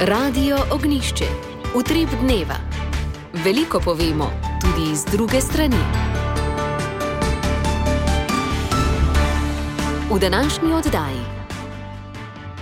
Radio Ognišče. Utrip dneva. Veliko povemo, tudi iz druge strani. V današnji oddaji.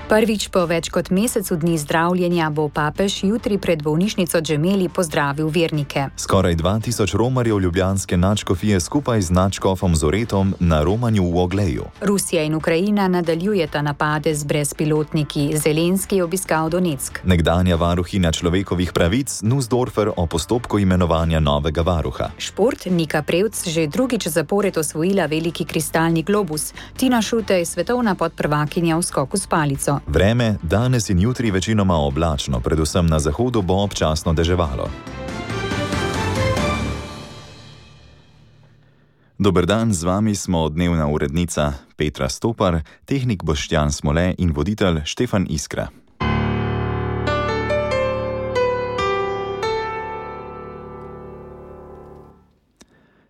Prvič po več kot mesecu dni zdravljenja bo papež jutri pred bolnišnico Gemelli pozdravil vernike. Skoraj 2000 romarjev ljubljanske nadškofije skupaj z nadškofom Zoretom na romanju v Ogleju. Rusija in Ukrajina nadaljujeta napade z brezpilotniki. Zelenski je obiskal Donetsk. Nekdanja varuhinja človekovih pravic Nussdorfer o postopku imenovanja novega varuha. Šport. Nika Prevc že drugič zapored osvojila veliki kristalni globus. Tina Šutej, svetovna podprvakinja v skoku s palico. Vreme danes in jutri večinoma oblačno, predvsem na zahodu bo občasno deževalo. Dober dan, z vami smo dnevna urednica Petra Stopar, tehnik Boštjan Smole in voditelj Štefan Iskra.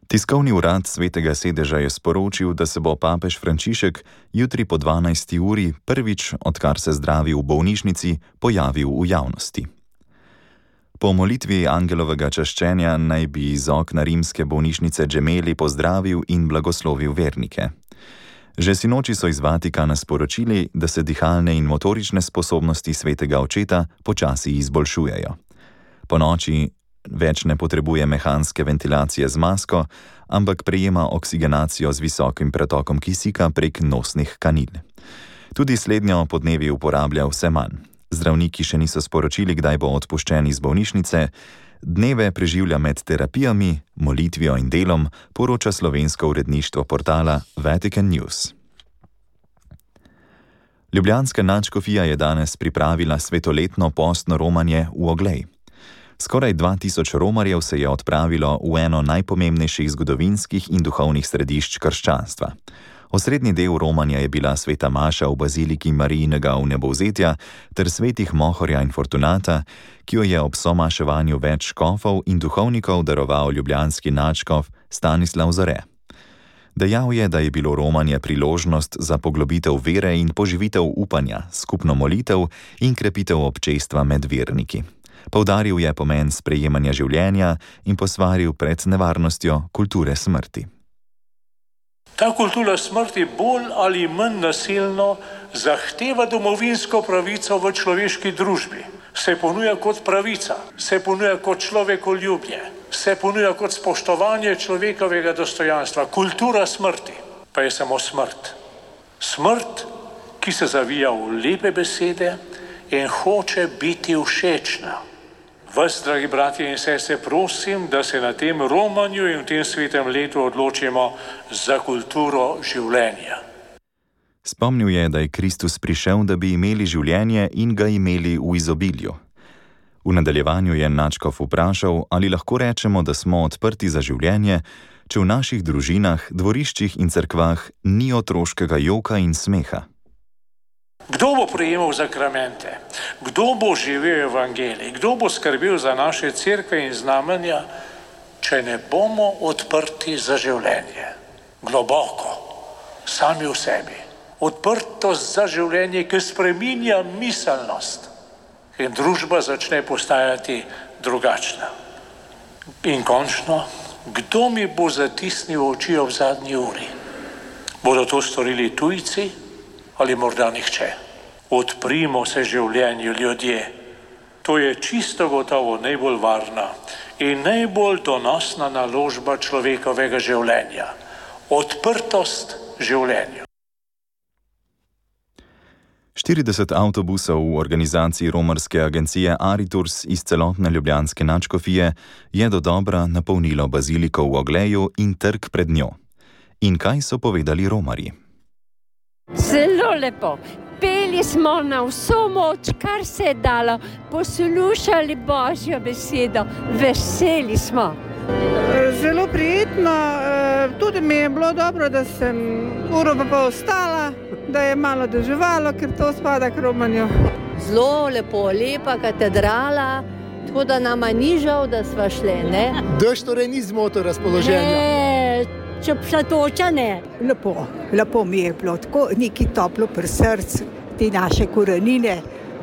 Tiskovni urad Svetega sedeža je sporočil, da se bo papež Frančišek jutri po 12. uri prvič, odkar se zdravi v bolnišnici, pojavil v javnosti. Po molitvi angelovega čaščenja naj bi iz okna rimske bolnišnice Gemelli pozdravil in blagoslovil vernike. Že sinoči so iz Vatikana sporočili, da se dihalne in motorične sposobnosti svetega očeta počasi izboljšujejo. Po noči več ne potrebuje mehanske ventilacije z masko, ampak prejema oksigenacijo z visokim pretokom kisika prek nosnih kanil. Tudi slednjo podnevi uporablja vse manj. Zdravniki še niso sporočili, kdaj bo odpuščen iz bolnišnice. Dneve preživlja med terapijami, molitvijo in delom, poroča slovensko uredništvo portala Vatican News. Ljubljanska nadškofija je danes pripravila svetoletno postno romanje v Oglej. Skoraj 2000 romarjev se je odpravilo v eno najpomembnejših zgodovinskih in duhovnih središč krščanstva. Osrednji del romanja je bila sveta maša v baziliki Marijinega vnebovzetja ter svetih Mohorja in Fortunata, ki jo je ob somaševanju več škofov in duhovnikov daroval ljubljanski nadškof Stanislav Zore. Dejal je, da je bilo romanje priložnost za poglobitev vere in poživitev upanja, skupno molitev in krepitev občestva med verniki. Poudaril je pomen sprejemanja življenja in posvaril pred nevarnostjo kulture smrti. Ta kultura smrti bolj ali manj nasilno zahteva domovinsko pravico v človeški družbi. Se ponuja kot pravica, se ponuja kot človekoljubje, se ponuja kot spoštovanje človekovega dostojanstva. Kultura smrti pa je samo smrt. Smrt, ki se zavija v lepe besede in hoče biti všečna. Vas, dragi bratje in sestre, prosim, da se na tem romanju in v tem svetem letu odločimo za kulturo življenja. Spomnil je, da je Kristus prišel, da bi imeli življenje in ga imeli v izobilju. V nadaljevanju je nadškof vprašal, ali lahko rečemo, da smo odprti za življenje, če v naših družinah, dvoriščih in cerkvah ni otroškega joka in smeha. Kdo bo prejemal zakramente? Kdo bo živel evangelij? Kdo bo skrbel za naše cerkve in znamenja, če ne bomo odprti za življenje? Globoko, sami v sebi. Odprtost za življenje, ki spreminja miselnost. In družba začne postajati drugačna. In končno, kdo mi bo zatisnil oči ob zadnji uri? Bodo to storili tujci? Ali morda nihče. Odprimo se življenju, ljudje. To je čisto gotovo najbolj varna in najbolj donosna naložba človekovega življenja. Odprtost življenju. 40 avtobusov v organizaciji romarske agencije Ariturs iz celotne ljubljanske nadškofije je dodobra napolnilo baziliko v Ogleju in trg pred njo. In kaj so povedali romarji? Zelo lepo. Peli smo na vso moč, kar se je dalo, poslušali Božjo besedo, veseli smo. Zelo prijetno, tudi mi je bilo dobro, da sem uro pa ostala, da je malo deževalo, ker to spada k romanju. Zelo lepo, lepa katedrala, tako da nama ni žal, da sva šle, ne? Dež torej ni zmotil razpoloženja. Če pšatoča ne. Lepo mi je bilo, tako neki toplo pri srcu, te naše korenine,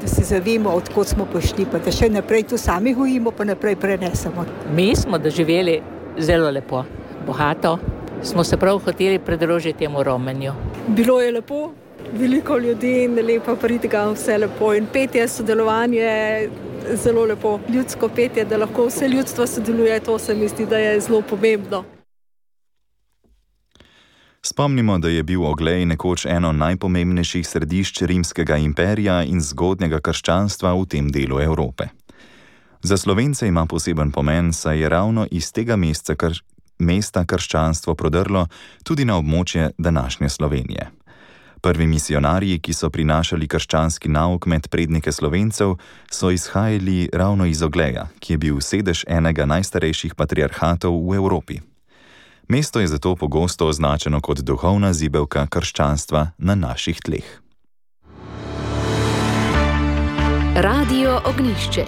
da se zavemo, odkot smo prišli, pa da še naprej to sami gojimo, pa naprej prenesemo. Mi smo doživeli zelo lepo, bogato, smo se prav hoteli pridružiti temu romenju. Bilo je lepo, veliko ljudi in lepa pridiga, vse lepo in petje, sodelovanje zelo lepo. Ljudsko petje, da lahko vse ljudstvo sodeluje, to se mi zdi, da je zelo pomembno. Spomnimo, da je bil Oglej nekoč eno najpomembnejših središč rimskega imperija in zgodnjega krščanstva v tem delu Evrope. Za Slovence ima poseben pomen, saj je ravno iz tega mesta krščanstvo prodrlo tudi na območje današnje Slovenije. Prvi misionarji, ki so prinašali krščanski nauk med prednike Slovencev, so izhajali ravno iz Ogleja, ki je bil sedež enega najstarejših patriarhatov v Evropi. Mesto je zato pogosto označeno kot duhovna zibelka krščanstva na naših tleh. Radio Ognjišče.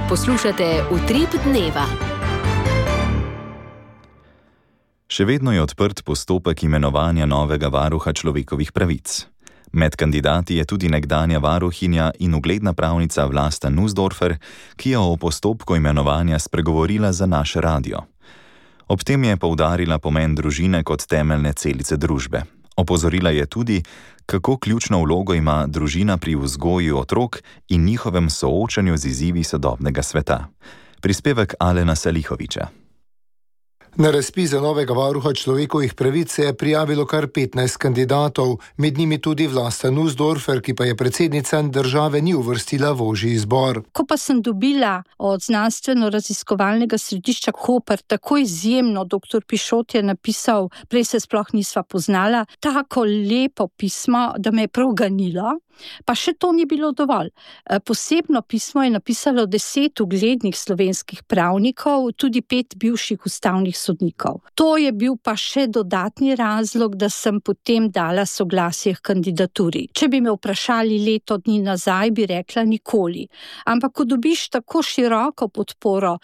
Poslušate Utrip dneva. Še vedno je odprt postopek imenovanja novega varuha človekovih pravic. Med kandidati je tudi nekdanja varuhinja in ugledna pravnica Vlasta Nussdorfer, ki je o postopku imenovanja spregovorila za naš radio. Ob tem je poudarila pomen družine kot temeljne celice družbe. Opozorila je tudi, kako ključno vlogo ima družina pri vzgoji otrok in njihovem soočanju z izzivi sodobnega sveta. Prispevek Alena Salihoviča. Na razpis za novega varuha človekovih pravic se je prijavilo kar 15 kandidatov, med njimi tudi Vlasta Nussdorfer, ki pa je predsednica države ni uvrstila v ožji izbor. Ko pa sem dobila od znanstveno-raziskovalnega središča Koper tako izjemno, dr. Pišot je napisal, prej se sploh nisva poznala, tako lepo pismo, da me je prav ganilo. Pa še to ni bilo dovolj. Posebno pismo je napisalo 10 uglednih slovenskih pravnikov, tudi 5 bivših ustavnih sodnikov. To je bil pa še dodatni razlog, da sem potem dala soglasje k kandidaturi. Če bi me vprašali leto dni nazaj, bi rekla nikoli. Ampak ko dobiš tako široko podporo,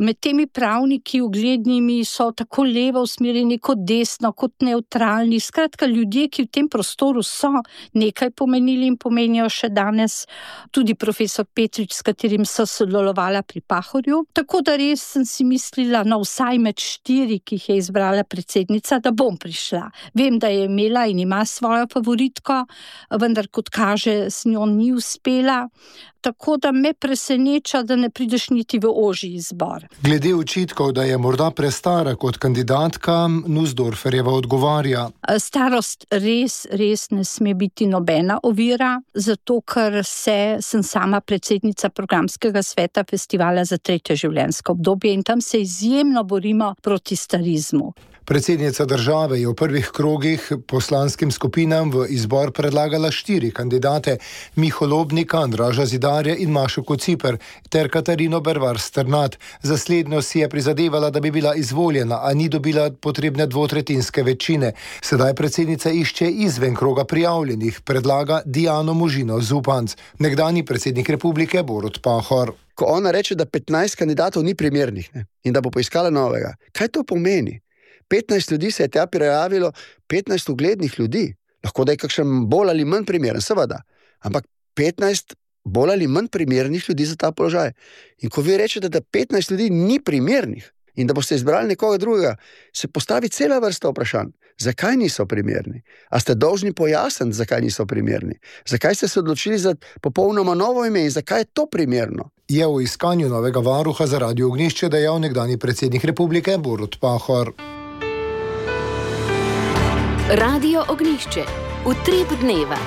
med temi pravniki uglednimi so tako levo usmerjeni kot desno, kot nevtralni, skratka ljudje, ki v tem prostoru so nekaj pomenili in pomenijo še danes, tudi profesor Petrič, s katerim so sodelovala pri Pahorju. Tako da res sem si mislila, vsaj med 4, ki jih je izbrala predsednica, da bom prišla. Vem, da je imela in ima svojo favoritko, vendar kot kaže, s njo ni uspela. Tako da me preseneča, da ne prideš niti v ožji izbor. Glede očitkov, da je morda prestara kot kandidatka, Nussdorferjeva odgovarja. Starost res ne sme biti nobena ovira, zato ker sem sama predsednica programskega sveta festivala za 3. življenjsko obdobje in tam se izjemno borimo proti starizmu. Predsednica države je v prvih krogih poslanskim skupinam v izbor predlagala 4 kandidate, Miho Lobnika, Andraža Zidarja in Mašo Kociper ter Katarino Bervar Strnad. Za slednjo si je prizadevala, da bi bila izvoljena, a ni dobila potrebne 2/3 večine. Sedaj predsednica išče izven kroga prijavljenih, predlaga Diano Možino Zupanc, nekdanji predsednik republike Borut Pahor. Ko ona reče, da 15 kandidatov ni primernih in da bo poiskala novega, kaj to pomeni? 15 ljudi se je tja prijavilo, 15 uglednih ljudi. Lahko da je kakšen bolj ali manj primeren, seveda. Ampak 15 bolj ali manj primernih ljudi za ta položaj. In ko vi rečete, da 15 ljudi ni primernih in da boste izbrali nekoga drugega, se postavi cela vrsta vprašanj. Zakaj niso primerni? A ste dolžni pojasniti, zakaj niso primerni? Zakaj ste se odločili za popolnoma novo ime in zakaj je to primerno? Je v iskanju novega varuha za Radio Ognjišče dejal nekdanji predsednik republike Borut Pahor. Radio Ognjišče. Utrip dneva.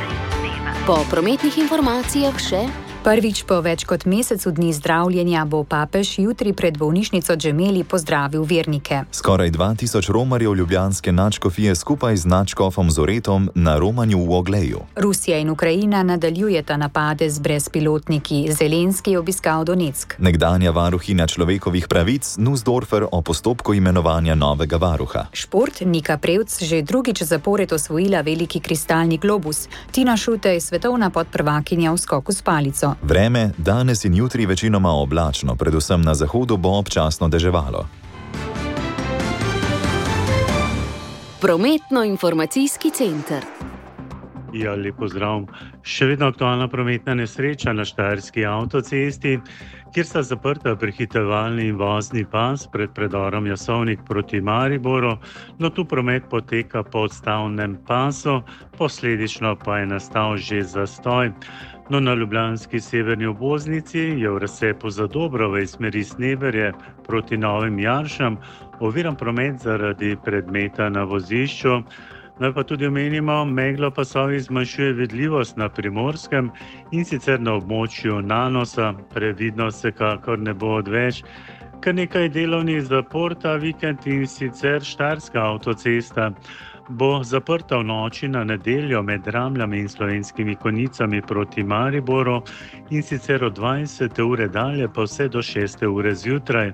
Po prometnih informacijah še... Prvič po več kot mesecu dni zdravljenja bo papež jutri pred bolnišnico Gemelli pozdravil vernike. Skoraj 2000 romarjev ljubljanske nadškofije skupaj z nadškofom Zoretom na romanju v Ogleju. Rusija in Ukrajina nadaljujeta napade z brezpilotniki. Zelenski je obiskal Donetsk. Nekdanja varuhinja človekovih pravic Nussdorfer o postopku imenovanja novega varuha. Šport. Nika Prevc že drugič zapored osvojila veliki kristalni globus. Tina Šutej, svetovna podprvakinja v skoku s palico. Vreme danes in jutri večinoma oblačno, predvsem na zahodu bo občasno deževalo. Prometno-informacijski center. Ja, lep pozdrav. Še vedno aktualna prometna nesreča na Štajerski avtocesti, kjer sta zaprta prehitevalni in vozni pas pred predorom Jasovnik proti Mariboru, no tu promet poteka po odstavnem pasu, posledično pa je nastal že zastoj. No, na ljubljanski severni obvoznici je v razcepu za Dobrove iz smeri Sneberje proti Novim Jaršam oviran promet zaradi predmeta na vozišču. Naj pa tudi omenimo, megla pasovi zmanjšuje vidljivost na Primorskem in sicer na območju Nanosa, previdnost vsekakor ne bo odveč. Kar nekaj delovnih zapor ta vikend in sicer Štajerska avtocesta bo zaprta v noči na nedeljo med Ramljami in Slovenskimi Konjicami proti Mariboru in sicer od 20. ure dalje pa vse do 6. ure zjutraj.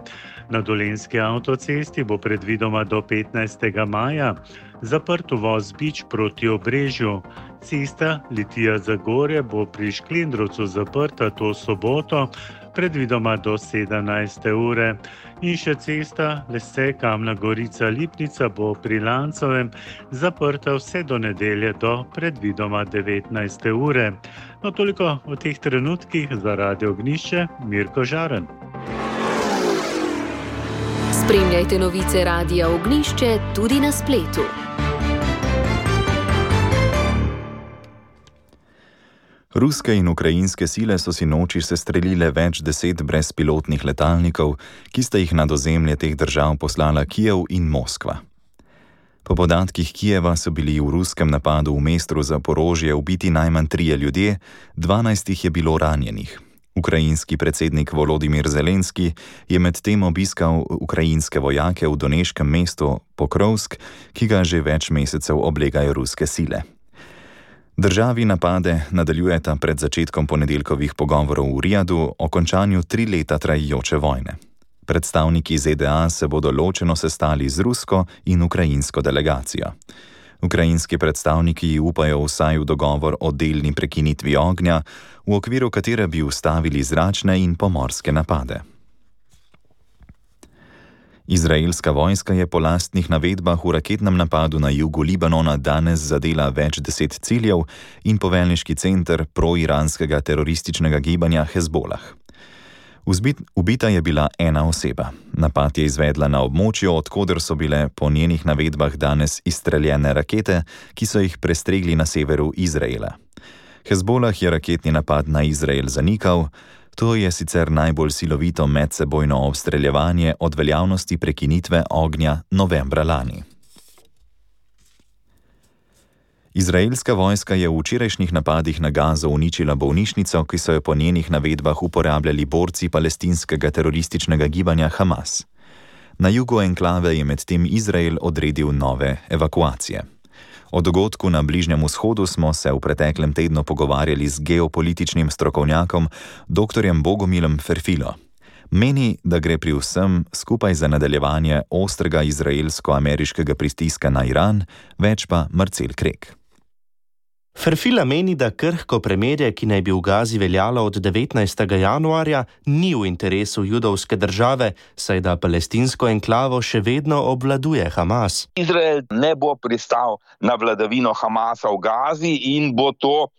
Na Dolenjski avtocesti bo predvidoma do 15. maja zaprt uvoz Bič proti Obrežju. Cesta Litija-Zagorje bo pri Šklendrovcu zaprta to soboto, predvidoma do 17. ure. In še cesta Lesce-Kamna Gorica-Lipnica bo pri Lancovem zaprta vse do nedelje do predvidoma 19. ure. No, toliko o teh trenutkih za Radio Ognjišče, Mirko Žaren. Spremljajte novice Radia Ognjišče tudi na spletu. Ruske in ukrajinske sile so sinoči sestrelile več 10 brezpilotnih letalnikov, ki sta jih nad ozemlje teh držav poslala Kijev in Moskva. Po podatkih Kijeva so bili v ruskem napadu v mestu Zaporožje ubiti najmanj 3 ljudje, 12 jih je bilo ranjenih. Ukrajinski predsednik Volodimir Zelenski je medtem obiskal ukrajinske vojake v doneškem mestu Pokrovsk, ki ga že več mesecev oblegajo ruske sile. Državi napade nadaljujeta pred začetkom ponedeljkovih pogovorov v Rijadu o končanju 3 leta trajajoče vojne. Predstavniki ZDA se bodo ločeno sestali z rusko in ukrajinsko delegacijo. Ukrajinski predstavniki upajo vsaj v dogovor o delni prekinitvi ognja, v okviru katere bi ustavili zračne in pomorske napade. Izraelska vojska je po lastnih navedbah v raketnem napadu na jugu Libanona danes zadela več 10 ciljev in poveljniški center proiranskega terorističnega gibanja Hezbolah. Ubita je bila ena oseba. Napad je izvedla na območju, odkoder so bile po njenih navedbah danes izstreljene rakete, ki so jih prestregli na severu Izraela. Hezbolah je raketni napad na Izrael zanikal. To je sicer najbolj silovito medsebojno obstreljevanje od veljavnosti prekinitve ognja novembra lani. Izraelska vojska je v včerajšnjih napadih na Gazo uničila bolnišnico, ki so jo po njenih navedbah uporabljali borci palestinskega terorističnega gibanja Hamas. Na jugu enklave je medtem Izrael odredil nove evakuacije. O dogodku na Bližnjem vzhodu smo se v preteklem tednu pogovarjali z geopolitičnim strokovnjakom dr. Bogomilom Ferfilo. Meni, da gre pri vsem skupaj za nadaljevanje ostrega izraelsko-ameriškega pritiska na Iran, več pa Marcel Krek. Ferfila meni, da krhko premirje, ki naj bi v Gazi veljalo od 19. januarja, ni v interesu judovske države, saj da palestinsko enklavo še vedno obvladuje Hamas. Izrael ne bo pristal na vladavino Hamasa v Gazi in bo to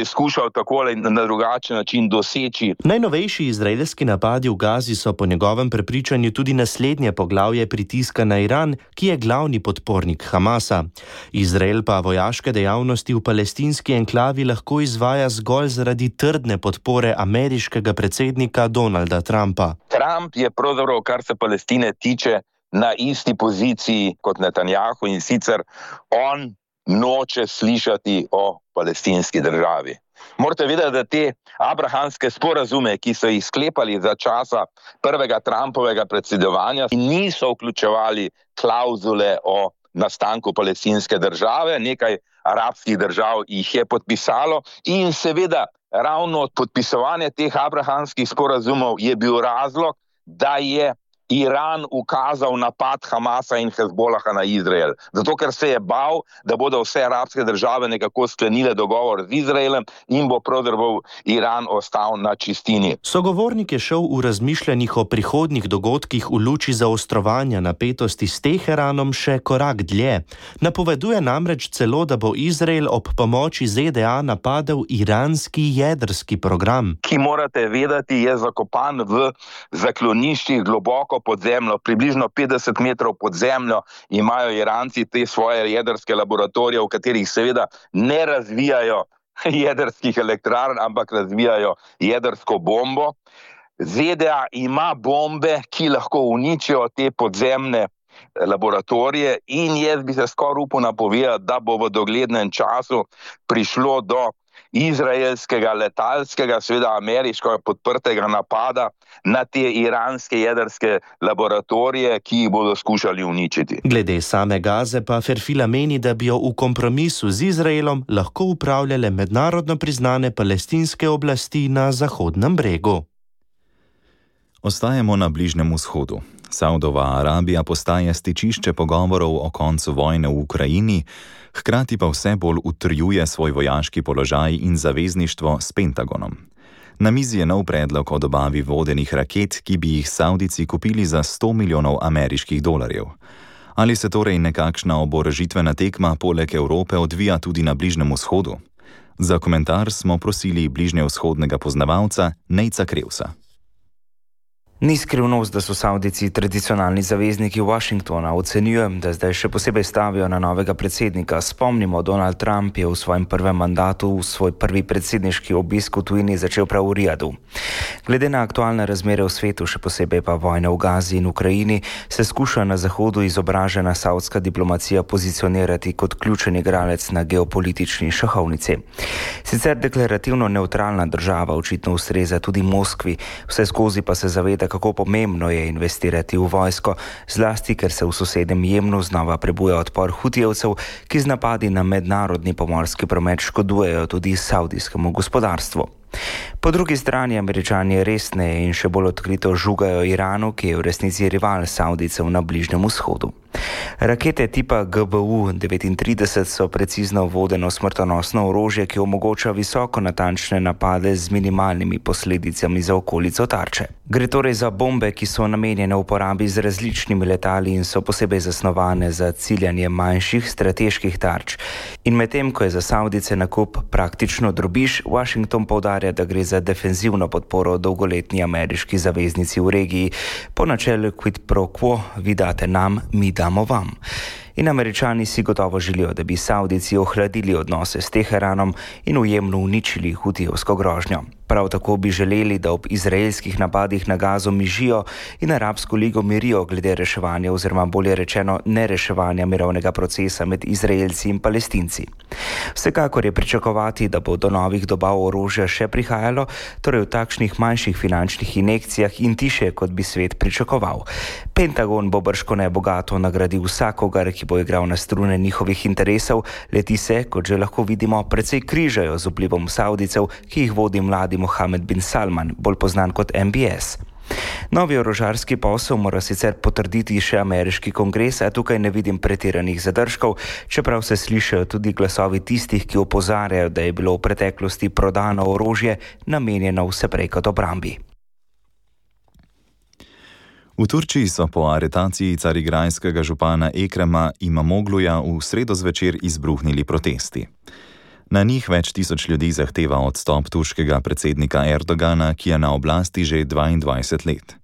skušal tako ali na drugačen način doseči. Najnovejši izraelski napadi v Gazi so po njegovem prepričanju tudi naslednje poglavje pritiska na Iran, ki je glavni podpornik Hamasa. Izrael pa vojaške dejavnosti v palestinski enklavi lahko izvaja zgolj zaradi trdne podpore ameriškega predsednika Donalda Trumpa. Trump je pravzaprav, kar se Palestine tiče, na isti poziciji kot Netanjahu in sicer on noče slišati o palestinski državi. Morate vedeti, da te abrahamske sporazume, ki so jih sklepali za časa prvega Trumpovega predsedovanja, niso vključevali klauzule o nastanku palestinske države, nekaj arabskih držav jih je podpisalo in seveda ravno podpisovanje teh abrahamskih sporazumov je bil razlog, da je Iran ukazal napad Hamasa in Hezbolaha na Izrael. Zato, ker se je bal, da bodo vse arabske države nekako sklenile dogovor z Izraelem in bo pravzaprav Iran ostal na čistini. Sogovornik je šel v razmišljanjih o prihodnjih dogodkih v luči zaostrovanja napetosti s Teheranom še korak dlje. Napoveduje namreč celo, da bo Izrael ob pomoči ZDA napadel iranski jedrski program. Ki morate vedeti, je zakopan v zakloniščih globoko pod zemljo, približno 50 metrov pod zemljo imajo Iranci te svoje jedrske laboratorije, v katerih seveda ne razvijajo jedrskih elektrarn, ampak razvijajo jedrsko bombo. ZDA ima bombe, ki lahko uničijo te podzemne laboratorije in jaz bi se skoraj upal napovedati, da bo v doglednem času prišlo do izraelskega letalskega, seveda ameriškega podprtega napada na te iranske jedrske laboratorije, ki jih bodo skušali uničiti. Glede same Gaze pa Ferfila meni, da bi jo v kompromisu z Izraelom lahko upravljale mednarodno priznane palestinske oblasti na Zahodnem bregu. Ostajamo na Bližnjem vzhodu. Saudova Arabija postaja stičišče pogovorov o koncu vojne v Ukrajini, hkrati pa vse bolj utrjuje svoj vojaški položaj in zavezništvo s Pentagonom. Na mizi je nov predlog o dobavi vodenih raket, ki bi jih Saudijci kupili za $100 milijonov ameriških dolarjev. Ali se torej nekakšna oborožitvena tekma poleg Evrope odvija tudi na Bližnjem vzhodu? Za komentar smo prosili bližnjevzhodnega poznavalca Nejca Krevsa. Ni skrivnost, da so Saudijci tradicionalni zavezniki Washingtona. Ocenjujem, da zdaj še posebej stavijo na novega predsednika. Spomnimo, Donald Trump je v svojem prvem mandatu svoj prvi predsedniški obisk v tujini začel prav v Rijadu. Glede na aktualne razmere v svetu, še posebej pa vojne v Gazi in Ukrajini, se skuša na Zahodu izobražena saudska diplomacija pozicionirati kot ključen igralec na geopolitični šahovnici. Sicer deklarativno nevtralna država očitno ustreza tudi Moskvi, vse skozi pa se zaveda, kako pomembno je investirati v vojsko, zlasti ker se v sosednjem Jemnu znova prebuja odpor Hutijevcev, ki z napadi na mednarodni pomorski promet škodujejo tudi saudijskemu gospodarstvu. Po drugi strani Američani resneje in še bolj odkrito žugajo Iranu, ki je v resnici rival Saudijcev na Bližnjem vzhodu. Rakete tipa GBU-39 so precizno vodeno smrtonosno orožje, ki omogoča visoko natančne napade z minimalnimi posledicami za okolico tarče. Gre torej za bombe, ki so namenjene uporabi z različnimi letali in so posebej zasnovane za ciljanje manjših strateških tarč. In medtem, ko je za Saudijce nakup praktično drobiž, Washington poudarja, da gre za defenzivno podporo dolgoletni ameriški zaveznici v regiji, po načelu quid pro quo, vi date nam, mi damo vam. In Američani si gotovo želijo, da bi Saudijci ohladili odnose s Teheranom in v Jemnu uničili hutijevsko grožnjo. Prav tako bi želeli, da ob izraelskih napadih na Gazo mižijo in Arabsko ligo mirijo glede reševanja oziroma bolje rečeno nereševanja mirovnega procesa med Izraelci in Palestinci. Vsekakor je pričakovati, da bo do novih dobav orožja še prihajalo, torej v takšnih manjših finančnih injekcijah in tiše, kot bi svet pričakoval. Pentagon bo bržkone bogato nagradil vsakogar, ki bo igral na strune njihovih interesov, leti se, kot že lahko vidimo, precej križajo z vplivom Saudijcev, ki jih vodi mladi Mohamed bin Salman, bolj poznan kot MBS. Novi orožarski posel mora sicer potrditi še ameriški kongres, a tukaj ne vidim pretiranih zadržkov, čeprav se slišijo tudi glasovi tistih, ki opozarjajo, da je bilo v preteklosti prodano orožje namenjeno vse prej kot obrambi. V Turčiji so po aretaciji carigrajskega župana Ekrema Imamogluja v sredo zvečer izbruhnili protesti. Na njih več tisoč ljudi zahteva odstop turškega predsednika Erdogana, ki je na oblasti že 22 let.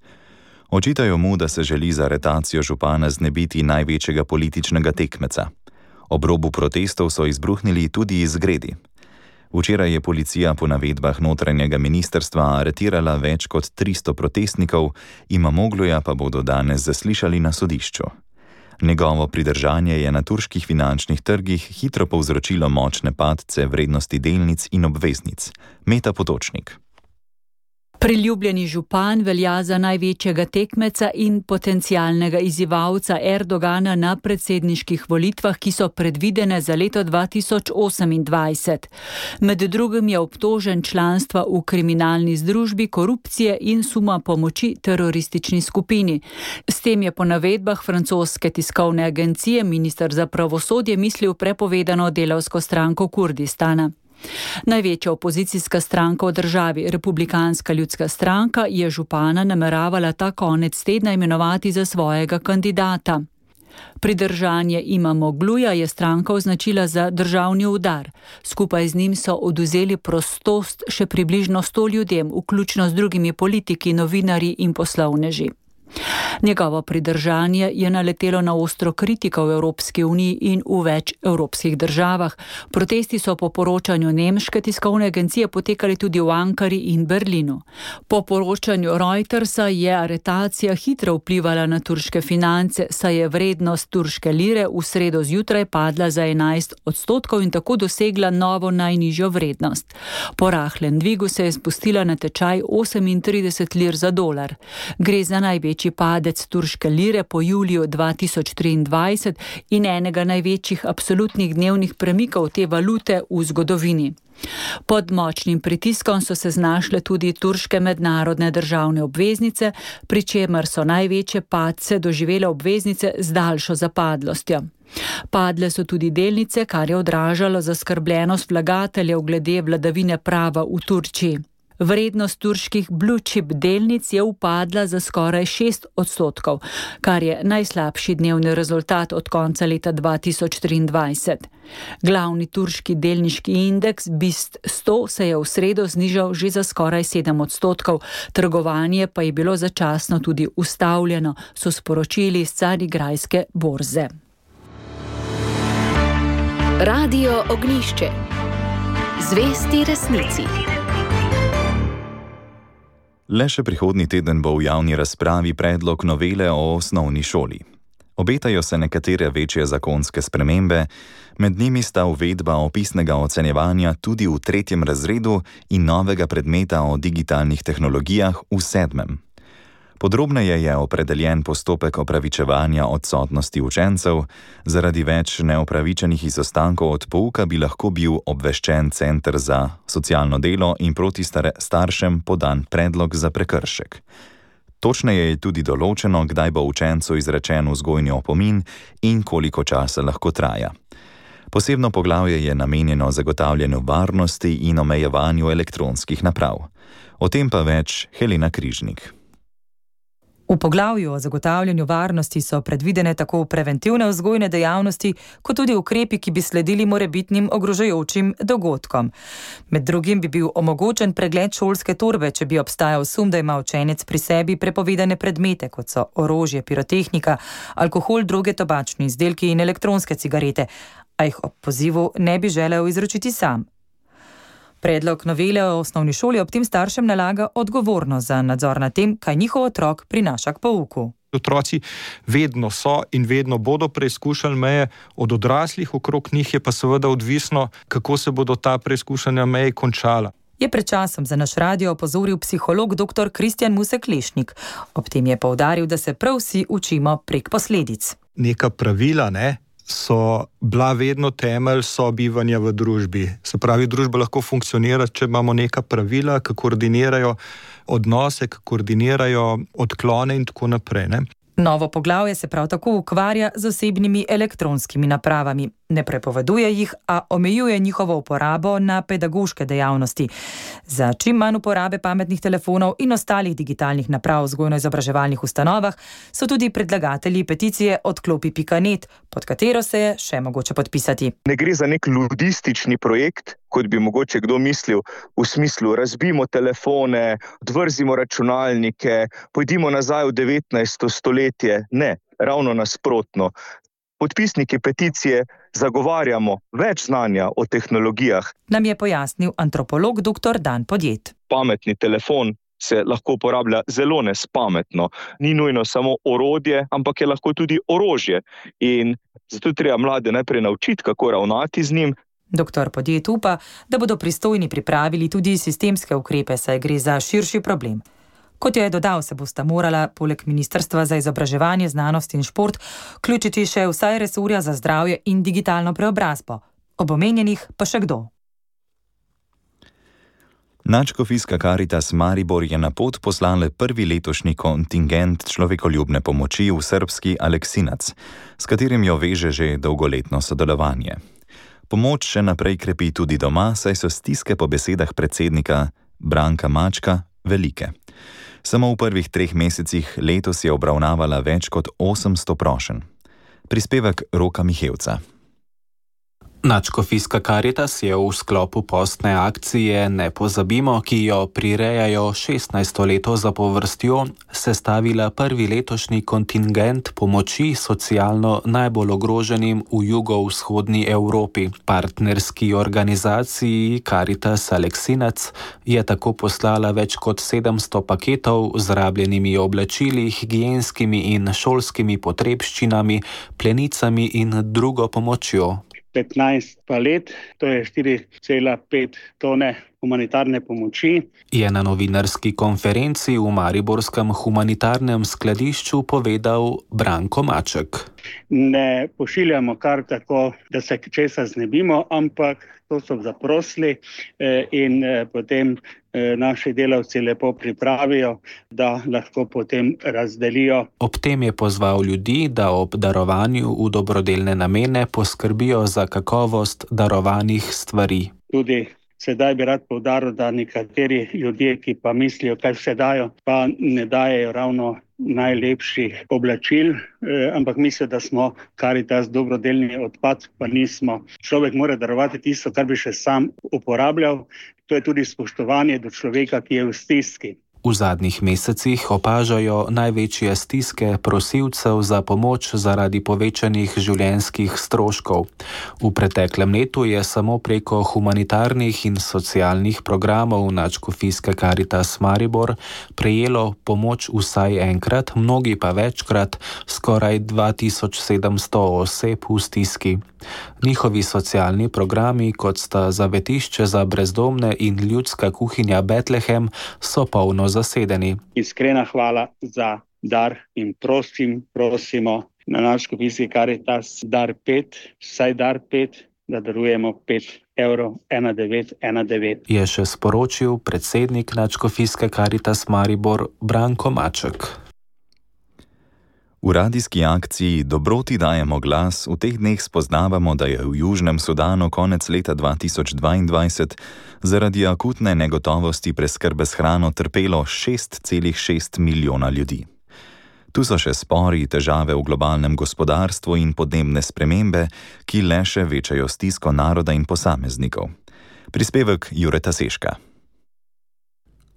Očitajo mu, da se želi za aretacijo župana znebiti največjega političnega tekmeca. Ob robu protestov so izbruhnili tudi izgredi. Včeraj je policija po navedbah notranjega ministrstva aretirala več kot 300 protestnikov, Imamogluja pa bodo danes zaslišali na sodišču. Njegovo pridržanje je na turških finančnih trgih hitro povzročilo močne padce vrednosti delnic in obveznic. Meta Potočnik. Priljubljeni župan velja za največjega tekmeca in potencialnega izzivalca Erdogana na predsedniških volitvah, ki so predvidene za leto 2028. Med drugim je obtožen članstva v kriminalni združbi, korupcije in suma pomoči teroristični skupini. S tem je po navedbah francoske tiskovne agencije minister za pravosodje mislil prepovedano delavsko stranko Kurdistana. Največja opozicijska stranka v državi, Republikanska ljudska stranka, je župana nameravala ta konec tedna imenovati za svojega kandidata. Pridržanje Imamogluja je stranka označila za državni udar. Skupaj z njim so odvzeli prostost še približno 100 ljudem, vključno z drugimi politiki, novinarji in poslovneži. Njegovo pridržanje je naletelo na ostro kritiko v Evropski uniji in v več evropskih državah. Protesti so po poročanju nemške tiskovne agencije potekali tudi v Ankari in Berlinu. Po poročanju Reutersa je aretacija hitro vplivala na turške finance, saj je vrednost turške lire v sredo zjutraj padla za 11% in tako dosegla novo najnižjo vrednost. Po rahlem dvigu se je spustila na tečaj 38 lir za dolar. Gre za največji padec turške lire po juliju 2023 in enega največjih absolutnih dnevnih premikov te valute v zgodovini. Pod močnim pritiskom so se znašle tudi turške mednarodne državne obveznice, pri čemer so največje padce doživele obveznice z daljšo zapadlostjo. Padle so tudi delnice, kar je odražalo zaskrbljenost vlagateljev glede vladavine prava v Turčiji. Vrednost turških blue chip delnic je upadla za skoraj 6%, kar je najslabši dnevni rezultat od konca leta 2023. Glavni turški delniški indeks BIST 100 se je v sredo znižal že za skoraj 7%, trgovanje pa je bilo začasno tudi ustavljeno, so sporočili s carigrajske borze. Radio Ognjišče. Zvesti resnici. Le še prihodnji teden bo v javni razpravi predlog novele o osnovni šoli. Obetajo se nekatere večje zakonske spremembe, med njimi sta uvedba opisnega ocenjevanja tudi v 3. razredu in novega predmeta o digitalnih tehnologijah v 7. Podrobneje je opredeljen postopek opravičevanja odsotnosti učencev. Zaradi več neopravičenih izostankov od pouka bi lahko bil obveščen Center za socialno delo in proti staršem podan predlog za prekršek. Točneje je tudi določeno, kdaj bo učencu izrečen vzgojni opomin in koliko časa lahko traja. Posebno poglavje je namenjeno zagotavljanju varnosti in omejevanju elektronskih naprav. O tem pa več Helena Križnik. V poglavju o zagotavljanju varnosti so predvidene tako preventivne vzgojne dejavnosti, kot tudi ukrepi, ki bi sledili morebitnim ogrožajočim dogodkom. Med drugim bi bil omogočen pregled šolske torbe, če bi obstajal sum, da ima učenec pri sebi prepovedane predmete, kot so orožje, pirotehnika, alkohol, droge, tobačni izdelki in elektronske cigarete, a jih ob pozivu ne bi želel izročiti sam. Predlog novele o osnovni šoli ob tem staršem nalaga odgovornost za nadzor nad tem, kaj njihov otrok prinaša k pouku. Otroci vedno so in vedno bodo preizkušali meje, od odraslih okrog njih je pa seveda odvisno, kako se bodo ta preizkušanja meje končala. Je pred časom za naš radio opozoril psiholog dr. Kristjan Musek-Lešnik. Ob tem je poudaril, da se prav vsi učimo prek posledic. Neka pravila, so bila vedno temelj sobivanja v družbi. Se pravi, družba lahko funkcionira, če imamo neka pravila, ki koordinirajo odnose, ki koordinirajo odklone in tako naprej. Novo poglavje se prav tako ukvarja z osebnimi elektronskimi napravami. Ne prepoveduje jih, a omejuje njihovo uporabo na pedagoške dejavnosti. Za čim manj uporabe pametnih telefonov in ostalih digitalnih naprav v vzgojno-izobraževalnih ustanovah so tudi predlagatelji peticije odklopi.net, pod katero se je še mogoče podpisati. Ne gre za nek ludistični projekt, kot bi mogoče kdo mislil, v smislu razbimo telefone, odvrzimo računalnike, pojdimo nazaj v 19. stoletje. Ne, ravno nasprotno. Podpisniki peticije zagovarjamo več znanja o tehnologijah. Nam je pojasnil antropolog dr. Dan Podjet. Pametni telefon se lahko uporablja zelo nespametno. Ni nujno samo orodje, ampak je lahko tudi orožje. In zato treba mlade najprej naučiti, kako ravnati z njim. Doktor Podjet upa, da bodo pristojni pripravili tudi sistemske ukrepe, saj gre za širši problem. Kot je dodal, se bosta morala poleg Ministrstva za izobraževanje, znanost in šport vključiti še vsaj resorja za zdravje in digitalno preobrazbo. Ob omenjenih pa še kdo. Nadškofijska Karitas Maribor je na pot poslala prvi letošnji kontingent človekoljubne pomoči v srbski Aleksinac, s katerim jo veže že dolgoletno sodelovanje. Pomoč še naprej krepi tudi doma, saj so stiske po besedah predsednika Branka Mačka velike. Samo v prvih 3 mesecih letos je obravnavala več kot 800 prošenj. Prispevek Roka Mihevca. Nadškofijska Karitas je v sklopu postne akcije Ne pozabimo, ki jo prirejajo 16. leto zapovrstjo, sestavila prvi letošnji kontingent pomoči socialno najbolj ogroženim v jugovzhodni Evropi. Partnerski organizaciji Karitas Aleksinac je tako poslala več kot 700 paketov z rabljenimi oblačili, higienskimi in šolskimi potrebščinami, plenicami in drugo pomočjo. 15 palet, to je 4,5 tone humanitarne pomoči. Je na novinarski konferenci v Mariborskem humanitarnem skladišču povedal Branko Maček. Ne pošiljamo kar tako, da se česa znebimo, ampak to so zaprosili in potem naši delavci lepo pripravijo, da lahko potem razdelijo. Ob tem je pozval ljudi, da ob darovanju v dobrodelne namene poskrbijo za kakovost darovanih stvari. Tudi sedaj bi rad poudaril, da nekateri ljudje, ki pa mislijo, kaj vse dajo, pa ne dajejo ravno najlepših oblačil, ampak mislijo, da smo Karitas dobrodelni odpad, pa nismo. Človek mora darovati tisto, kar bi še sam uporabljal. To je tudi spoštovanje do človeka, ki je v stiski. V zadnjih mesecih opažajo največje stiske prosilcev za pomoč zaradi povečanih življenjskih stroškov. V preteklem letu je samo preko humanitarnih in socialnih programov Nadškofijske Karitas Maribor prejelo pomoč vsaj enkrat, mnogi pa večkrat, skoraj 2700 oseb v stiski. Njihovi socialni programi, kot sta zavetišče za brezdomne in ljudska kuhinja Betlehem, so polno zasedeni. Iskrena hvala za dar in prosimo na Nadškofijski Karitas dar 5, vsaj dar 5, da darujemo 5 evrov 1919. Je še sporočil predsednik Nadškofijske Karitas Maribor Branko Maček. V radijski akciji Dobroti dajemo glas v teh dneh spoznavamo, da je v Južnem Sudanu konec leta 2022 zaradi akutne negotovosti preskrbe s hrano trpelo 6,6 milijona ljudi. Tu so še spori, težave v globalnem gospodarstvu in podnebne spremembe, ki le še večajo stisko naroda in posameznikov. Prispevek Jureta Seška.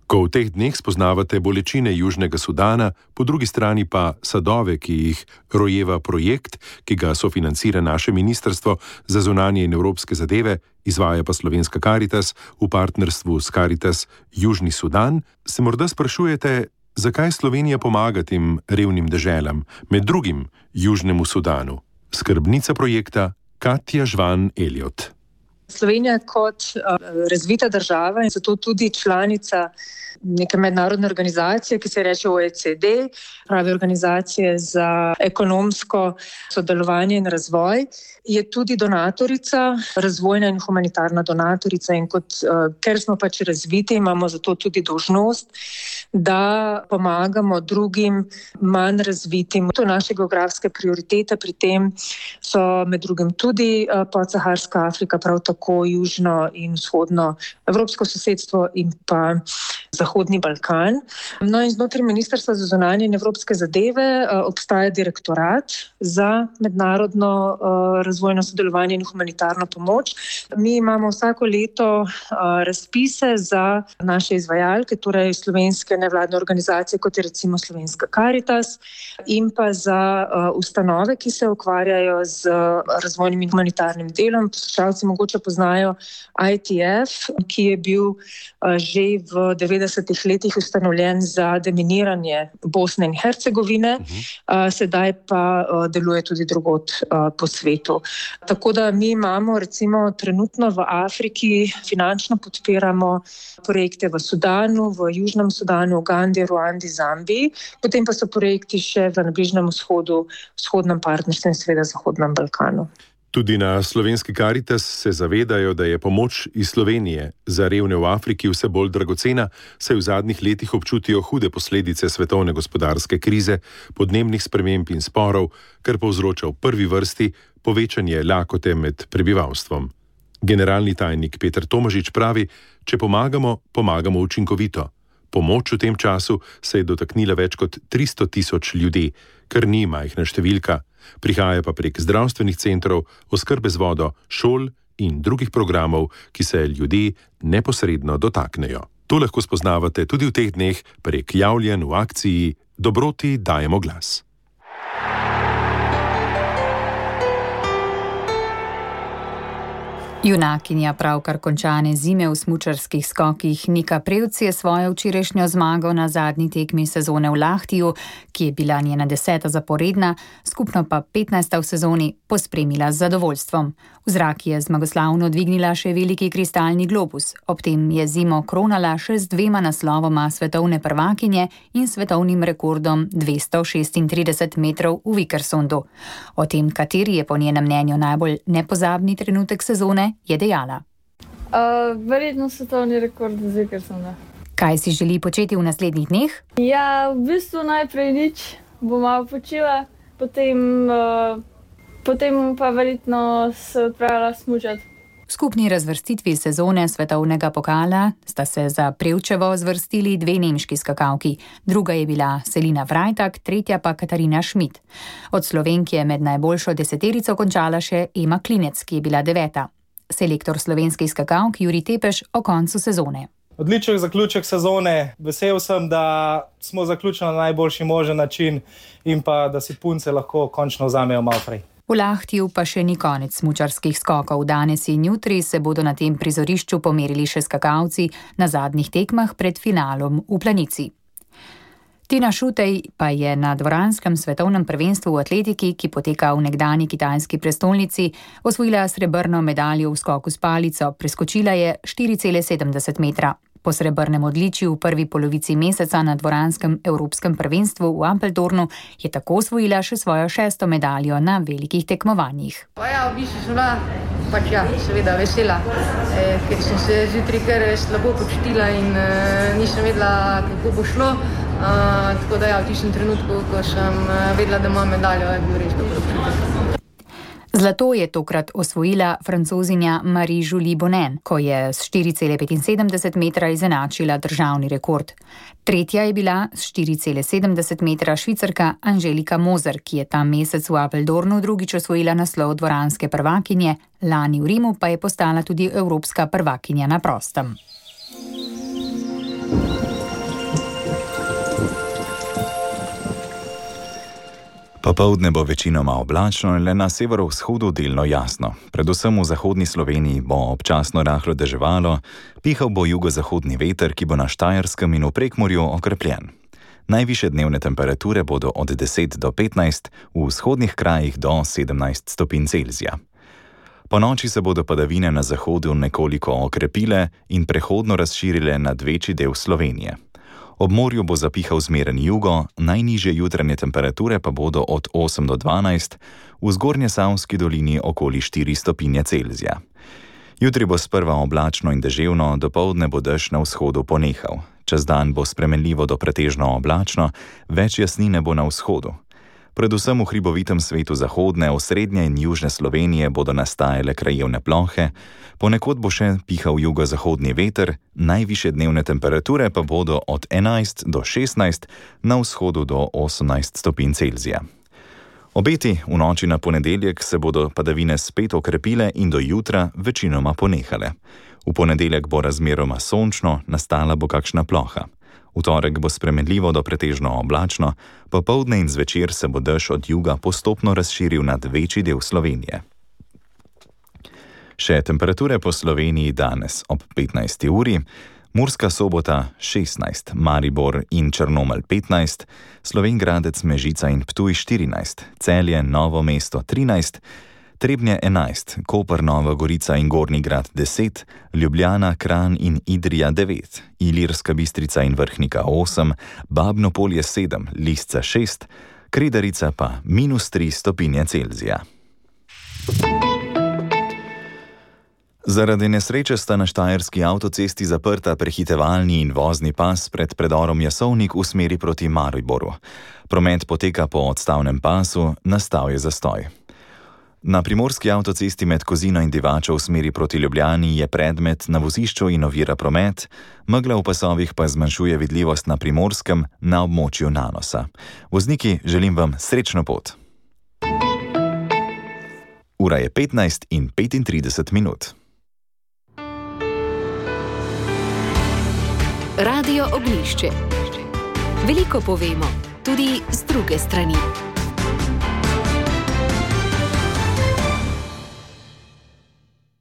Ko v teh dneh spoznavate bolečine Južnega Sudana, po drugi strani pa sadove, ki jih rojeva projekt, ki ga sofinancira naše Ministrstvo za zunanje in evropske zadeve, izvaja pa Slovenska Karitas v partnerstvu s Karitas Južni Sudan, se morda sprašujete, zakaj Slovenija pomaga tem revnim deželam, med drugim Južnemu Sudanu. Skrbnica projekta Katja Žvan Elliot. Slovenija kot razvita država in zato tudi članica neke mednarodne organizacije, ki se reče OECD, pravi organizacije za ekonomsko sodelovanje in razvoj, je tudi donatorica, razvojna in humanitarna donatorica in ker smo pač razviti, imamo zato tudi dolžnost, da pomagamo drugim manj razvitim. To je naša geografska prioriteta, pri tem so med drugim tudi podsaharska Afrika, prav tako južno in vzhodno evropsko sosedstvo in pa Zahodni Balkan. No in znotraj Ministrstva za zunanje in evropske zadeve obstaja direktorat za mednarodno razvojno sodelovanje in humanitarno pomoč. Mi imamo vsako leto razpise za naše izvajalke, torej slovenske nevladne organizacije, kot je recimo Slovenska Karitas, in pa za ustanove, ki se ukvarjajo z razvojnim in humanitarnim delom. Poslušalci mogoče poznajo ITF, ki je bil že v 90 90. letih ustanovljen za deminiranje Bosne in Hercegovine, sedaj pa deluje tudi drugod po svetu. Tako da mi imamo recimo trenutno v Afriki, finančno podpiramo projekte v Sudanu, v Južnem Sudanu, Ugandi, Ruandi, Zambiji, potem pa so projekti še na Bližnjem vzhodu, vzhodnem partnerstvu in seveda Zahodnem Balkanu. Tudi na slovenski Karitas se zavedajo, da je pomoč iz Slovenije za revne v Afriki vse bolj dragocena, saj v zadnjih letih občutijo hude posledice svetovne gospodarske krize, podnebnih sprememb in sporov, kar povzroča v prvi vrsti povečanje lakote med prebivalstvom. Generalni tajnik Peter Tomažič pravi, če pomagamo, pomagamo učinkovito. Pomoč v tem času se je dotaknila več kot 300 000 ljudi, kar ni majhna številka. Prihaja pa prek zdravstvenih centrov, oskrbe z vodo, šol in drugih programov, ki se ljudi neposredno dotaknejo. To lahko spoznavate tudi v teh dneh prek javljanj v akciji Dobroti dajemo glas. Junakinja pravkar končane zime v smučarskih skokih Nika Prevc je svojo včerajšnjo zmago na zadnji tekmi sezone v Lahtiju, ki je bila njena 10. zaporedna, skupno pa 15. v sezoni, pospremila z zadovoljstvom. V zrak je zmagoslavno dvignila še veliki kristalni globus, ob tem je zimo kronala še z 2 naslovoma svetovne prvakinje in svetovnim rekordom 236 metrov v Vikersundu. O tem, kateri je po njenem mnenju najbolj nepozabni trenutek sezone, je dejala. Verjetno svetovni rekord z Vikersunda. Kaj si želi početi v naslednjih dneh? Ja, v bistvu najprej nič, bom malo počila, potem pa verjetno se odpravila smučati. V skupni razvrstitvi sezone svetovnega pokala sta se za Prevčevo zvrstili 2 nemški skakalki. Druga je bila Selina Freitag, tretja pa Katarina Schmidt. Od Slovenk je med najboljšo 10 končala še Ema Klinec, ki je bila 9. Selektor slovenskih skakalk Jurij Tepeš o koncu sezone. Odličen zaključek sezone. Vesel sem, da smo zaključili na najboljši možen način in pa da si punce lahko končno vzamejo malo prej. V Lahtiju pa še ni konec smučarskih skokov. Danes in jutri se bodo na tem prizorišču pomerili še skakalci na zadnjih tekmah pred finalom v Planici. Tina Šutej pa je na dvoranskem svetovnem prvenstvu v atletiki, ki poteka v nekdanji kitajski prestolnici, osvojila srebrno medaljo v skoku s palico, preskočila je 4,70 metra. Po srebrnem odličju v prvi polovici meseca na dvoranskem evropskem prvenstvu v Apeltornu je tako osvojila še svojo 6. medaljo na velikih tekmovanjih. Ja, v bistvu sem bila seveda vesela, ker sem se zjutraj kar slabo počutila in nisem vedela, kako bo šlo. Tako da v tistem trenutku, ko sem vedela, da imam medaljo, je bil res dobro občutek. Zlato je tokrat osvojila francozinja Marie-Julie Bonin, ko je s 4,75 metra izenačila državni rekord. Tretja je bila s 4,70 metra Švicarka Angelika Moser, ki je ta mesec v Apeldornu drugič osvojila naslov dvoranske prvakinje, lani v Rimu pa je postala tudi evropska prvakinja na prostem. Popoldne bo večinoma oblačno, le na severovzhodu delno jasno. Predvsem v zahodni Sloveniji bo občasno rahlo deževalo, pihal bo jugozahodni veter, ki bo na Štajerskem in v Prekmurju okrepljen. Najvišje dnevne temperature bodo od 10 do 15, v vzhodnih krajih do 17 stopinj Celzija. Po noči se bodo padavine na zahodu nekoliko okrepile in prehodno razširile nad večji del Slovenije. Ob morju bo zapihal zmeren jugo, najnižje jutranje temperature pa bodo od 8 do 12, v Zgornjesavski dolini okoli 4 stopinje Celzija. Jutri bo sprva oblačno in deževno, dopoldne bo dež na vzhodu ponehal. Čez dan bo spremenljivo do pretežno oblačno, več jasnine bo na vzhodu. Predvsem v hribovitem svetu zahodne, osrednje in južne Slovenije bodo nastajale krajevne plohe, ponekod bo še pihal jugozahodni veter, najvišje dnevne temperature pa bodo od 11 do 16, na vzhodu do 18 stopinj Celzija. Obeti v noči na ponedeljek se bodo padavine spet okrepile in do jutra večinoma ponehale. V ponedeljek bo razmeroma sončno, nastala bo kakšna ploha. V torek bo spremenljivo do pretežno oblačno, popoldne in zvečer se bo dež od juga postopno razširil nad večji del Slovenije. Še temperature po Sloveniji danes ob 15. uri. Murska Sobota 16, Maribor in Črnomelj 15, Slovenj Gradec, Mežica in Ptuj 14, Celje, Novo mesto 13, Trebnje 11, Koper, Nova Gorica in Gornji Grad 10, Ljubljana, Kranj in Idrija 9, Ilirska Bistrica in Vrhnika 8, Babno Polje 7, Lisca 6, Kredarica pa -3 stopinje Celzija. Zaradi nesreče sta na štajerski avtocesti zaprta prehitevalni in vozni pas pred predorom Jasovnik v smeri proti Mariboru. Promet poteka po odstavnem pasu, nastal je zastoj. Na primorski avtocesti med Kozino in Divačo v smeri proti Ljubljani je predmet na vozišču in ovira promet, megla v pasovih pa zmanjšuje vidljivost na Primorskem na območju Nanosa. Vozniki, želim vam srečno pot. Ura je 15:35. Radio Oglišče. Veliko povemo, tudi z druge strani.